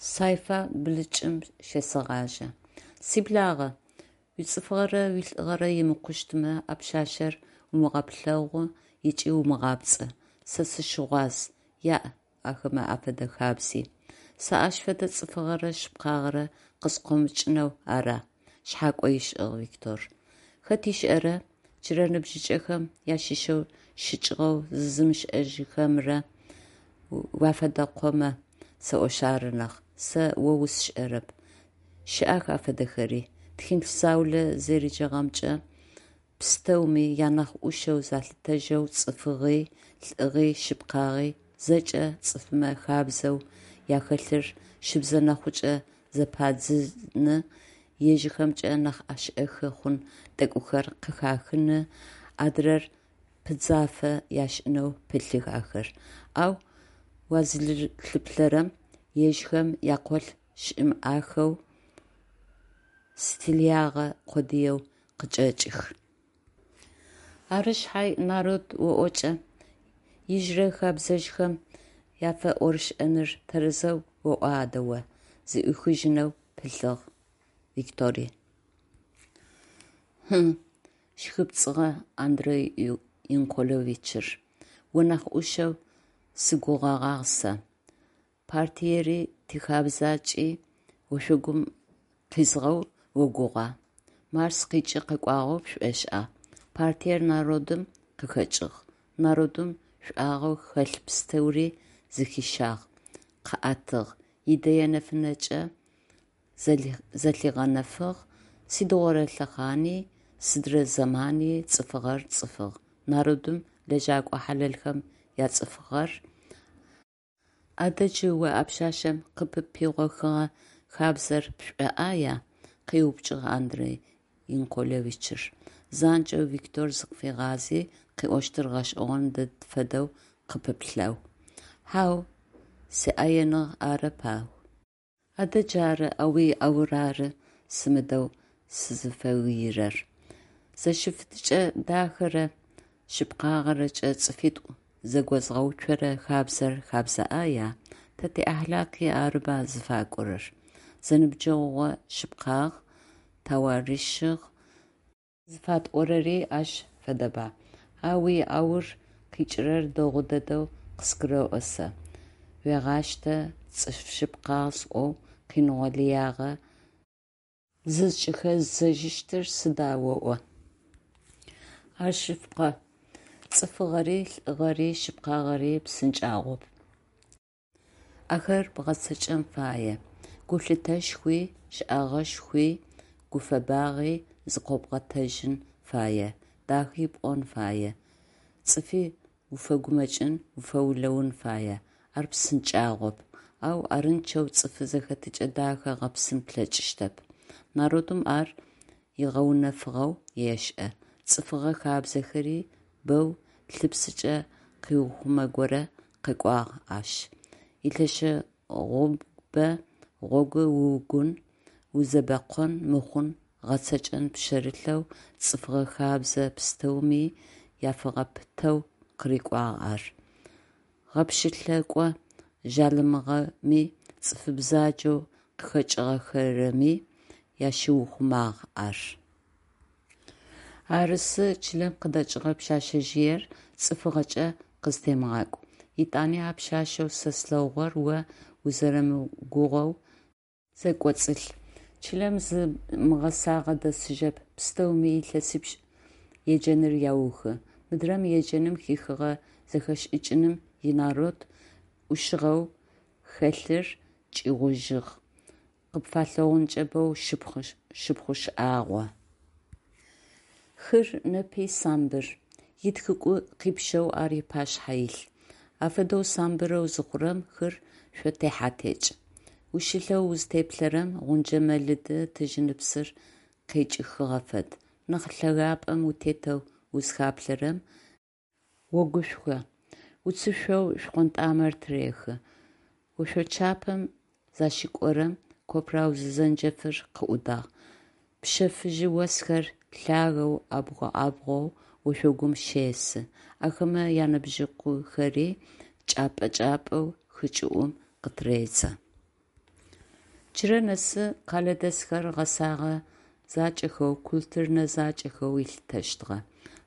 Сайфа блыкӏым щесэгъажьэ. Сиблагъэ, уицӏыфыгъэрэ уилӏыгъэрэ имыкъущтмэ, а пшъашъэр умыгъэплъэгъу ыкӏи умыгъапцӏэ, сэ сыщыгъуаз, яӏ ахэмэ афэдэ хабзи. Сэ ащ фэдэ цӏыфыгъэрэ шъыпкъагъэрэ къыскъомыкӏынэу ара? Шъхьакӏо ышӏыгъ Виктор. Хэт ышӏэрэ, джырэ ныбжьыкӏэхэм ащыщэу щыкӏыгъэу зызымышӏэжьыхэрэмэ уафэдакъомэ сэӏошъ ары нахь, сэ о усшӏэрэп. Щыӏэх афэдэхэри. Тхылъ заулэ зэреджагъэмкӏэ пстэуми анахь ӏушэу залъытэжьэу, цӏыфыгъи, лӏыгъи, шъыпкъагъи зэкӏэ цӏыфмэ хабзэу ахэлъыр щыбзэ нэхъукӏэ зэпадзыны, ежьхэмкӏэ нахь ӏэшӏэхы хъун тӏэкӏухэр къыхахыны, адрэр пыдзафэ ашӏынэу пылъых ахэр, ау уазылъыплъэрэм, ежьхэм якъолъ щымыӏахэу стилягъэ къодыеу къычӏэкӏых. Ары шъхьай, народ оӏокӏэ, ижъырэ хэбзэжъхэм яфэӏорышӏэныр тэрэзэу оӏуа адэ о? Зыӏуихыжьынэу пылъыгъ Виктори. Хьы, щхыпцӏыгъэ Андрей Янкуловичыр, о нахь ӏушэу сыгугъэгъагъ сэ. Партиери тихабзакӏи ошъогум къизыгъэу огугъа? Марс къикӏи къэкӏуагъэу пшӏошӏа? Партиер народым къыхэкӏыгъ, народым шӏуагъэу хэлъ пстэури зыхищагъ, къыӏэтыгъ, идэе нэфынэкӏэ зэлъигъэнэфыгъ, сыдигъорэ лъэхъани, сыдрэ зэмани цӏыфыгъэр цӏыфыгъ, народым, лэжьэкӏо хьалэлхэм яцӏыфыгъэр. Адэ джы о а пшъашъэм къыппигъохыгъэ хабзэр пшӏоӏая? Къеупчӏыгъ Андрей Янкуловичыр, занкӏэу Виктор зыкъыфигъази, къыӏощтыр гъэшӏэгъон дэд фэдэу къыпыплъэу. Хьау, сиӏэеныгъ арэп, ау. Адэ джары, а уи «аур» ары сымыдэу сызыфэгыирэр. Зэфыщытыкӏэ дахэрэ шъыпкъагъэрэкӏэ цӏыфитӏу зэгозгъэуцорэ хабзэр хэбзэ ӏая? Тэ тиӏэхлакъи арыба зыфакӏорэр. Зэныбджэгъугъэ шъыпкъагъ, тэуарыщыгъ зыфатӏорэри ащ фэдэба. А уи «аур» къикӏырэр дэгъу дэдэу къызгурэӏо сэ: уегъащтэ, цӏыф шъыпкъагъ сӏоу къиныгъо лыягъэ зызкӏыхэздзэжьыщтыр сыда оӏо? Ар шъыпкъэ, цӏыфыгъэри, лӏыгъэри, шъыпкъагъэри псынкӏагъоп. Ахэр бгъэцэкӏэн фае. Гулъытэшхуи, щэӏэгъэшхуи, гуфэбагъи зыкъобгъотэжьын фае, дахи пӏон фае, цӏыфи уфэгумэкӏын, уфэулэун фае. Ар псынкӏагъоп, ау арынчъэу цӏыфы зэхэтыкӏэ дахэ бгъэпсын плъэкӏыщтэп. Народым ар игъэунэфыгъэу ешӏэ, цӏыфыгъэ хабзэхэри бэу лъыпсыкӏэ къыухъумэгорэ къэкӏуагъ ащ, илӏэшӏэгъубэ гъогу уугун, узэбэкъон мыхъун гъэцэкӏэн пшъэрылъэу цӏыфыгъэ хабзэ пстэуми яфэгъэпытэу къырыкӏуагъ ар, гъэпщылӏэкӏо жъалымыгъэми цӏыфы бзаджэу къыхэкӏыгъэхэми ящыухъумагъ ар. Арысы, чылэм къыдэкӏыгъэ пшъэшъэжъыер цӏыфыгъэкӏэ къызтемыгъакӏу. Етӏани а пшъашъэу сэ слъэгъугъэр о узэрэмыгугъоу зэкӏоцӏылъ. Чылэм зы мыгъэсагъэ дэсыжьэп, пстэуми илъэсипшӏ еджэныр аухы. Мыдрэм еджэным хихыгъэ зэхэшӏыкӏыным инарод ӏушыгъэу хэлъыр кӏигъужьыгъ, къыпфалъэгъункӏэ боу шыпхъу шӏагъо. Хыр непи самбыр, итхыкӏу къипшэу ар ыпашъхьэ илъ. Афэдэу самбырэу зыхъурэм хыр шъотехьэ-текӏ. Ущылъэу узытеплъэрэм, гъунджэ мэлыды, тыжьыныпсыр къекӏыхыгъэ фэд. Нахь лъэгапӏэм утетэу узыхаплъэрэм, огушхо, уцышъоу шхъонтӏамэр тырехы. Ошъочапэм защыкӏорэм копрау зэнджэфыр къыӏудагъ, пщэ фыжьы осхэр лъагэу абгъу-абгъоу ошъогум щесы, ахэмэ янэбзыкъухэри чӏапӏэ-чӏапӏэу хы кӏыӏум къытыредзэ. Джырэ нэсы къэлэдэсхэр гъэсэгъэ закӏэхэу, культурнэ закӏэхэу ылъытэщтыгъэ.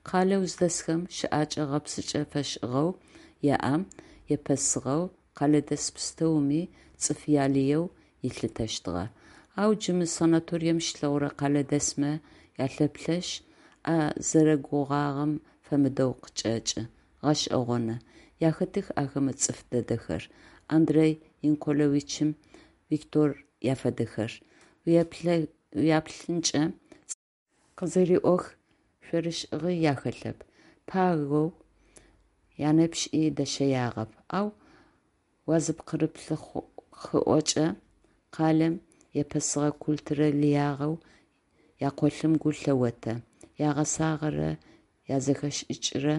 Къалэу зыдэсхэм щыӏэкӏэ гъэпсыкӏэ фэшӏыгъэу яӏэм епэсыгъэу, къэлэдэс пстэуми цӏыф ялыеу ылъытэщтыгъэ. Ау джы мы санаторием щилъэгъурэ къэлэдэсмэ ялъэплъэшъ, а зэрэгугъагъэм фэмыдэу къычӏэкӏы. Гъэшӏэгъоны! Ахэтых ахэмэ цӏыф дэдэхэр, Андрей Янкеловичым, Виктор афэдэхэр. Уяплъынкӏэ къызэриӏох шъорышӏыгъи ахэлъэп, пагэу янэпшӏи дэщэягъэп, ау уазыпкъырыплъыхыӏокӏэ, къалэм епэсыгъэ культурэ лыягъэу якъолъым гу лъеотэ, ягъэсагъэрэ язэхэшӏыкӏрэ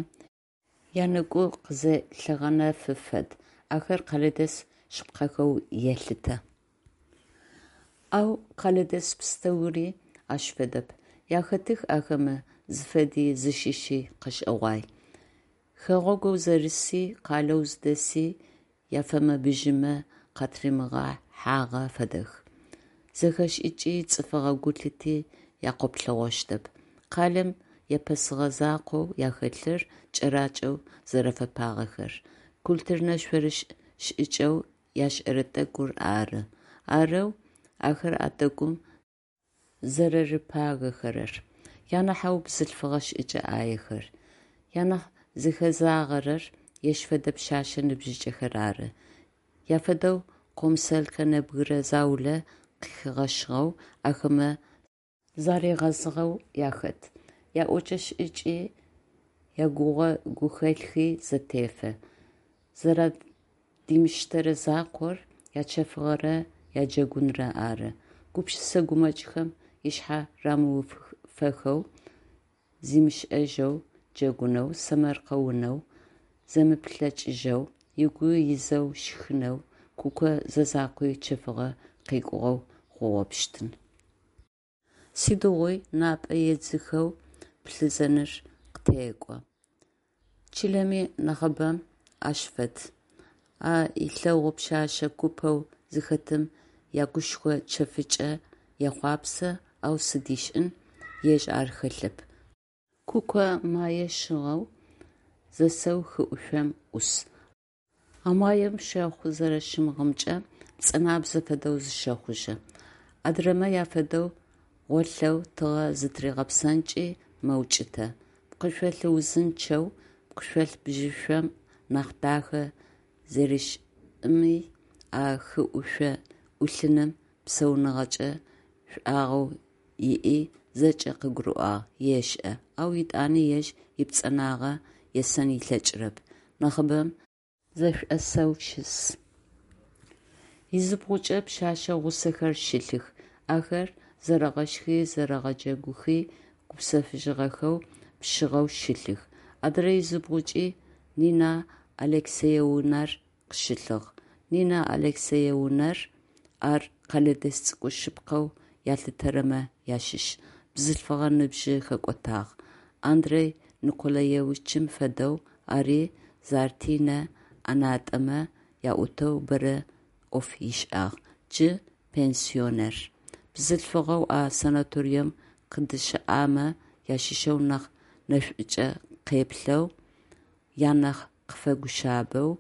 янэгу къызэлъигъэнэфы фэд, ахэр къэлэдэс шъыпкъэхэу елъытэ. Ау къэлэдэс пстэури ащ фэдэп. Ахэтых ахэмэ зыфэди зыщыщи къэшӏэгъуай. Хэгъэгоу зэрыси, къалэу зыдэси яфэмэ-бжьымэ къатыримыгъэхьагъэ фэдэх. Зэхэшӏыкӏи, цӏыфыгъэ гулъыти якъоплъэгъощтэп. Къалэм епэсыгъэ закъоу ахэлъыр кӏэракӏэу зэрэфэпагъэхэр, культурнэ шъорышӏ шӏыкӏэу яшӏэрэ тӏэкӏур ары. Арэу ахэр а тӏэкӏум зэрэрыпагэхэрэр. Анахьэу бзылъфыгъэ шӏыкӏэ ӏаехэр. Анахь зыхэзагъэрэр ежь фэдэ пшъэшъэ ныбжьыкӏэхэр ары. Яфэдэу къомсэлкэ нэбгырэ заулэ къыхигъэщыгъэу, ахэмэ заригъэзыгъэу ахэт. Яӏокӏэ-шӏыкӏи, ягугъэ-гухэлъхи зэтефэ. Зэрадимыштэрэ закъор ячэфыгъэрэ яджэгунрэ ары. Гупшысэ гумэкӏхэм ышъхьэ рамыуфэхэу, зимышӏэжьэу джэгунэу, сэмэркъэунэу, зэмыплъэкӏыжьэу, ыгу изэу щхынэу Куко зэзакъуи чэфыгъэ къекӏугъэу хъугъэпщтын. Сыдигъуи напӏэ едзыхэу плъызэныр къытекӏо. Чылэми нахьыбэм ащ фэд. А илэгъу пшъэшъэ купэу зыхэтым ягушхо чэфыкӏэ ехъуапсэ, ау сыд ышӏын, ежь ар хэлъэп. Куко мае щыгъэу зэсэу хыӏушъом ӏус. А маем щэхъу зэрэщымыгъымкӏэ пцӏэнабзэ фэдэу зыщэхъужьы. Адырэмэ афэдэу гъолъэу тыгъэ зытыригъэпсэнкӏи мэукӏытэ. Пкъышъол узынчъэу пкъышъол бжьышъом нахь дахэ зерешӏыми, а хыӏушъо ӏулъыным псауныгъэкӏэ шӏуагъэу иӏи зэкӏэ къыгурыӏуагъ, ешӏэ, ау етӏани ежь ипцӏэнагъэ есэн ылъэкӏырэп, нахьыбэм зэшӏосэу щыс. Изыбгъукӏэ пшъэшъэ гъусэхэр щылъых, ахэр зэрэгъэшхи, зэрэгъэджэгухи гупсэфыжьыгъэхэу, пшъыгъэу щылъых. Адырэ изыбгъукӏи Нина Алексеевнар къыщылъыгъ. Нина Алексеевнар ар къэлэдэс цӏыкӏу шъыпкъэу ялъытэрэмэ ащыщ, бзылъфыгъэ ныбжьы хэкӏотагъ, Андрей Николаевичым фэдэу ари партийнэ ӏэнатӏэмэ аӏутэу бэрэ ӏоф ышӏагъ, джы пенсионер. Бзылъфыгъэу а санаторием къыдыщыӏэмэ ащыщэу нахь нэшӏукӏэ къеплъэу, анахь къыфэгушъабэу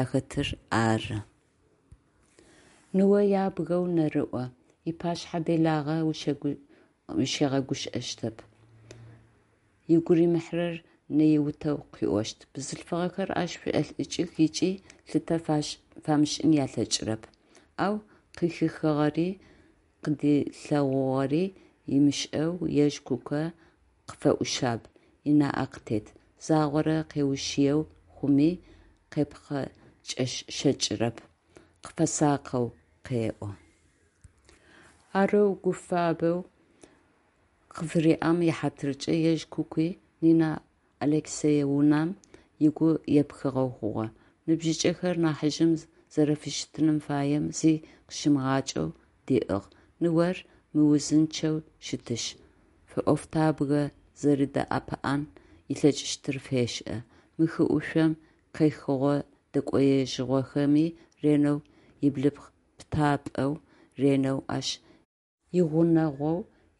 ахэтыр ары. Ныо ябгэу нэрыӏо, ыпашъхьэ делагъэ ущигъэгущыӏэщтэп, ыгу римыхьырэр нэиутэу къыӏощт. Бзылъфыгъэхэр ащ шӏолӏыкӏых ыкӏи лъытэ фамышӏын алъэкӏырэп. Ау къыхихыгъэри къыдилъэгъугъэри ымышӏэу ежь Куко къыфэӏушъаб, ынаӏэ къытет, загъорэ къеушъыеу хъуми, къепхъэшэкӏырэп, къыфэсакъэу къеӏо. Арэу гу фабэу къыфыриӏэм ихьатыркӏэ ежь Кукуи Нина Алексеевнам ыгу епхыгъэу хъугъэ. Ныбжьыкӏэхэр нахьыжъым зэрэфыщытын фаем зи къыщимыгъакӏэу диӏыгъ. Ныор мыузынчъэу щытышъ, фэӏофтабгэ зэрэдэӏэпыӏэн ылъэкӏыщтыр фешӏэ. Мы хыӏушъом къехыгъо-дэкӏоежьыгъохэми ренэу иблыпкъ пытапӏэу ренэу ащ игъунэгъоу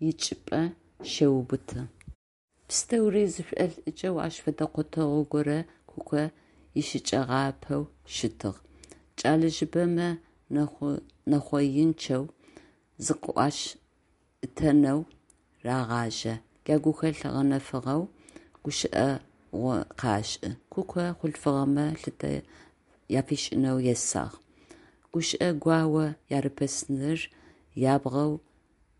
ичӏыпӏэ щеубыты. Пстэури зышӏолӏыкӏэу ащ фэдэ къотэгъу горэ Куко ищыкӏэгъапэу щытыгъ. Кӏэлэжъыбэмэ нэхъоинчъэу зыкъыӏуашӏытэнэу рагъажьэ, ягухэлъ гъэнэфагъэу гущыӏэгъу къашӏы. Куко хъулъфыгъэмэ лъытэ афишӏынэу есагъ. Гущыӏэ гуао ярипэсыныр ябгъэу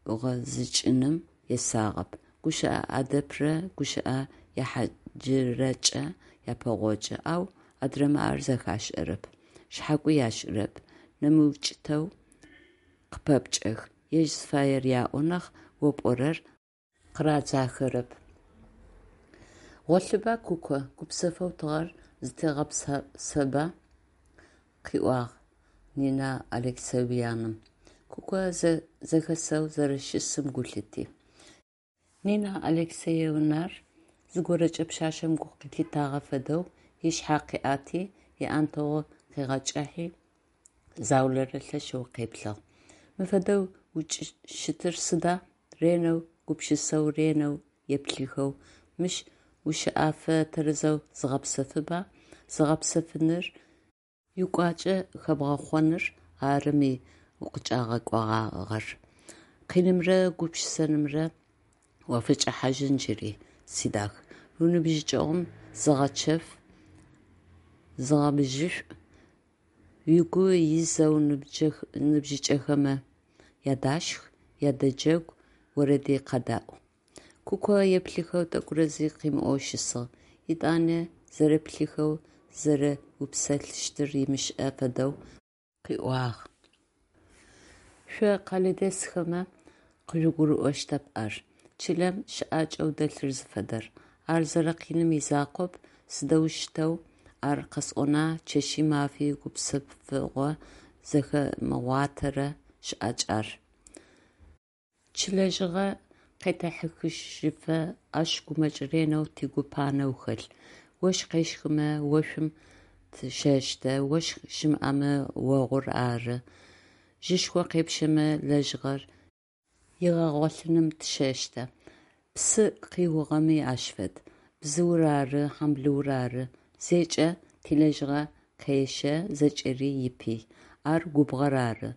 ӏугъэзыкӏыным есагъэп. Гущыӏэ ӏэдэбрэ гущыӏэ ехьыджырэкӏэ япэгъокӏы, ау адрэмэ ар зэхашӏэрэп, шъхьакӏуи ашӏырэп, нэмыукӏытэу къыпэпкӏэх, ежь зыфаер яӏо нахь, о пӏорэр къырадзахэрэп. «Гъолъыба, Куко, гупсэфэу тыгъэр зытегъэпсэба», – къыӏуагъ Нина Алексеевнам, Куко зэхэсэу зэрэщысым гу лъити. Нина Алексеевнар зыгорэкӏэ пшъашъэм гу лъитагъэ фэдэу ышъхьэ къыӏэти, ыӏэнтэгъу къыгъэкӏыхьи, заулэрэ лъэшэу къеплъыгъ. «Мы фэдэу укӏыщытыр сыда? Ренэу гупшысэу, ренэу еплъыхэу, мыщ ущэӏэфэ тэрэзэу зыгъэпсэфыба, зыбгъэпсэфыныр, укӏуачӏэ хэбгъэхъоныр ары мы укъыкӏагъэкӏогъагъэр, къинымрэ гупшысэнымрэ уафыкӏэхьажьын джыри, сидах, уиныбжьыкӏэгъум зыгъэчэф, зыгъэбжьышӏу, угу изэу ныбжьыкӏэхэмэ ядашх, ядэджэгу, орэди къядэӏу. Куко еплъыхэу тӏэкӏурэ зи къымыӏоу щысыгъ, етӏанэ зэреплъыхэу зэреупсэлъыщтыр ымышӏэ фэдэу къыӏуагъ: «Шъо къэлэдэсхэмэ къыжъугурыӏощтэп ар, чылэм щыӏакӏэу дэлъыр зыфэдэр, ар зэрэкъиным изакъоп, сыдэущтэу ар къэсӏона, чэщи мафи гупсэфыгъо зыхэмыгъуатэрэ щыӏакӏ ар. Тилэжьыгъэ къетэхьыхыжьыфэ ащ гумэкӏ ренэу тыгу панэу хэлъ. Ощх къещхымэ ошъум тыщэщтэ, ощх щымыӏэмэ огъур ары, жьышхо къепщэмэ лэжьыгъэр игъэгъолъыным тыщэщтэ, псы къиугъэми ащ фэд, бзыур ары, хьамблыур ары, зекӏэ тилэжьыгъэ къещэ, зэкӏэри ипый, ар губгъор ары.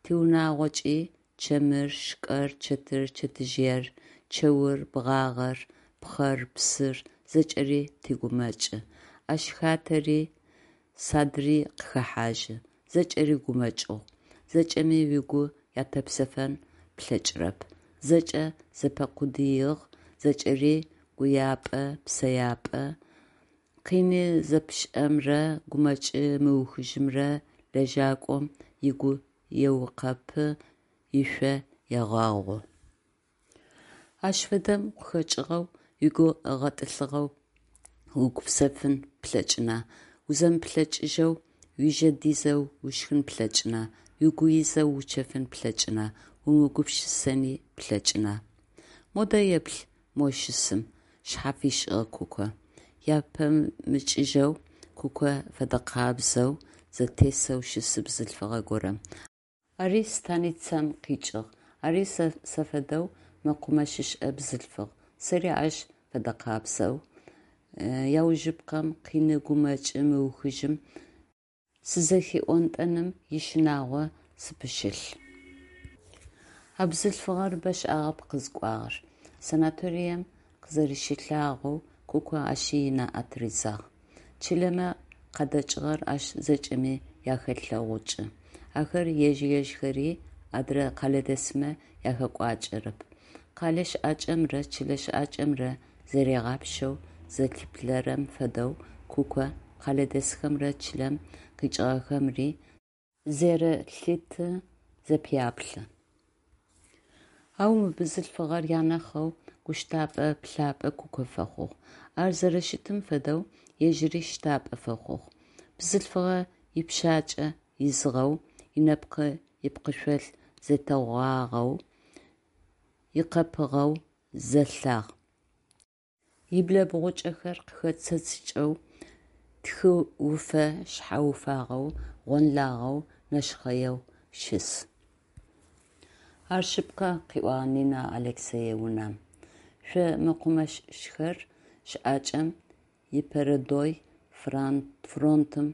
Тиунагъокӏи чэмыр, шкӏэр, чэтыр, чэтжъыер, чэур, бгъагъэр, пхъэр, псыр зэкӏэри тигумэкӏы, ащ хатэри, садри къыхэхьажьы, зэкӏэри гумэкӏыгъу, зэкӏэми угу ятэпсэфэн плъэкӏырэп, зэкӏэ зэпэкъудыигъ, зэкӏэри гуяпӏэ-псэяпӏэ, къины зэпшӏэмрэ гумэкӏ мыухыжьымрэ лэжьакӏом ыгу еукъэпы, ышъо егъэгъу. Ащ фэдэм укъыхэкӏыгъэу, угу гъэтӏылъыгъэу угупсэфын плъэкӏына, узэмыплъэкӏыжьэу, ужэ дизэу ушхын плъэкӏына, угу изэу учэфын плъэкӏына, умыгупшысэни плъэкӏына? Модэ еплъ мо щысым, – шъхьэ фишӏыгъ Куко, япэмыкӏыжьэу, Куко фэдэкъабзэу зэтесэу щыс бзылъфыгъэ горэм. Ари станицэм къикӏыгъ, ари сэ фэдэу мэкъумэщышӏэ бзылъфыгъ, сэри ащ фэдэкъабзэу, аужыпкъэм, къины гумэкӏ мыухыжьым сызэхиӏонтӏэным ищынагъо сыпыщылъ. А бзылъфыгъэр бэшӏагъэп къызыкӏуагъэр. Санаторием къызэрэщылъагъоу Куко ащи ынаӏэ тыридзагъ. Чылэмэ къадэкӏыгъэр ащ зэкӏэми ахелъэгъукӏы. Ахэр ежь-ежьхэри адрэ къэлэдэсмэ яхэкӏуакӏэрэп. Къэлэ щыӏакӏэмрэ чылэ щыӏакӏэмрэ зэригъапшэу зэлъиплъэрэм фэдэу Куко къэлэдэсхэмрэ чылэм къикӏыгъэхэмри зэрелъыты, зэпеплъы. Ау мы бзылъфыгъэр анахьэу гущтапӏэ-плъапӏэ Куко фэхъугъ. Ар зэрэщытым фэдэу ежьыри щтапӏэ фэхъугъ. Бзылъфыгъэ ыпшъачӏэ изыгъэу, ынэпкъы ыпкъышъол зэтегъуагъэу, икъэпыгъэу, зэлъагъ. Ыблэбгъукӏэхэр къыхэцэцыкӏэу, тхы уфэ шъхьэ уфагъэу, гъонлагъэу, нэшхъэеу щыс. Ар шъыпкъэ, – къыӏуагъ Нина Алексеевнам, – шъо, мэкъумэщышӏхэр, щыӏакӏэм ипередой фронтым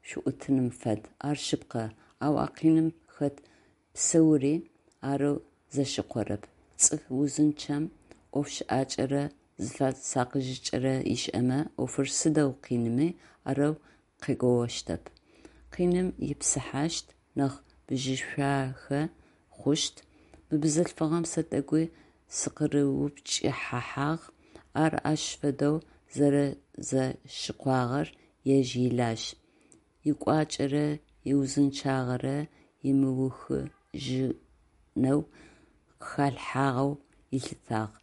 шъуӏутыным фэд. Ар шъыпкъэ, ау а къиным хэт пстэури арэу зэщыкъорэп, цӏыф узынчъэм ӏоф шӏакӏэрэ зыфэсакъыжьыкӏэрэ ишӏэмэ, ӏофыр сыдэу къинми, арэу къегоощтэп, къиным ипсыхьащт, нахь бжьышъуахэ хъущт, Мы бзылъфыгъэм сэ тӏэкӏуи сыкъырыупчӏыхьагъ, ар ащ фэдэу зэрэзэщыкъуагъэр ежь илажь, ыкӏуачӏэрэ иузынчъагъэрэ мыухыжьынэу къыхалъхьагъэу ылъытагъ,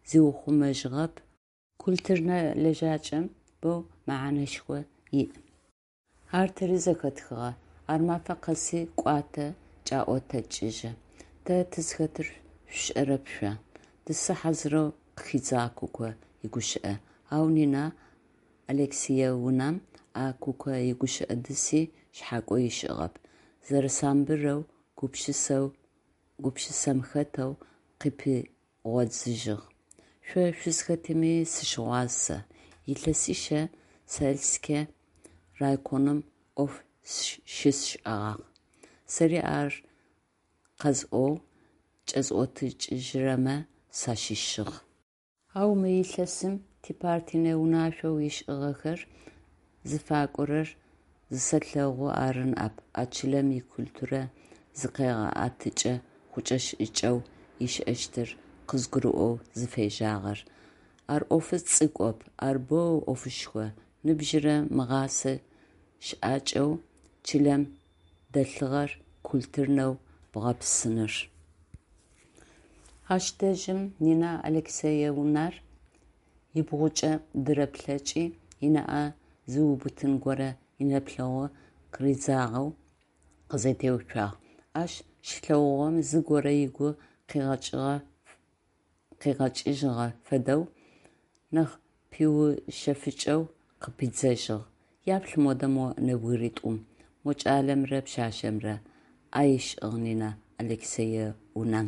зиухъумэжьыгъэп. Культурнэ лэжьакӏэм боу мэхьанэшхо иӏ. Ар тэри зэхэтхыгъэ, ар мафэ къэси кӏуатэ, кӏаӏотыкӏыжьы. Тэ тызхэтыр шъушӏэрэп шъо! – Дысы хьазырэу къыхидзагъ Куко игущыӏэ, ау Нина Алексеевнам а Куко игущыӏэ дыси шъхьакӏо ышӏыгъэп, зэрэсамбырэу, гупшысэм хэтэу къыпигъодзыжьыгъ: Шъо шъузхэтми сыщыгъуаз сэ, илъэсищэ сельскэ райконым ӏоф щысшӏэгъагъ, сэри ар къэзыӏоу кӏэзыӏотыкӏыжьырэмэ сащыщыгъ. Ау мы илъэсым типартийнэ унашъоу ышӏыгъэхэр зыфакӏорэр зысэлъэгъу ары ныӏэп а чылэм икультурэ зыкъегъэӏэтыкӏэ хъукӏэ-шӏыкӏэу ищыӏэщтыр къызгурыӏоу зыфежьагъэр. Ар ӏофы цӏыкӏоп, ар боу ӏофышху, ныбжьырэ мыгъасэ щыӏакӏэу чылэм дэлъыгъэр культурнэу бгъэпсыныр. Ащ дэжьым Нина Алексеевнар ыбгъукӏэ дыреплъэкӏи, ынаӏэ зыубытын горэ инэплъэгъу къыридзагъэу къызэтеуцуагъ, ащ щилъэгъугъэм зыгорэ ыгу къигъэкӏыжьыгъэ фэдэу нахь пиушъэфыкӏэу къыпидзэжьыгъ: Яплъ модэ мо нэбгыритӏум, мо кӏалэмрэ пшъашъэмрэ, – ӏэ ышӏыгъ Нина Алексеевнам.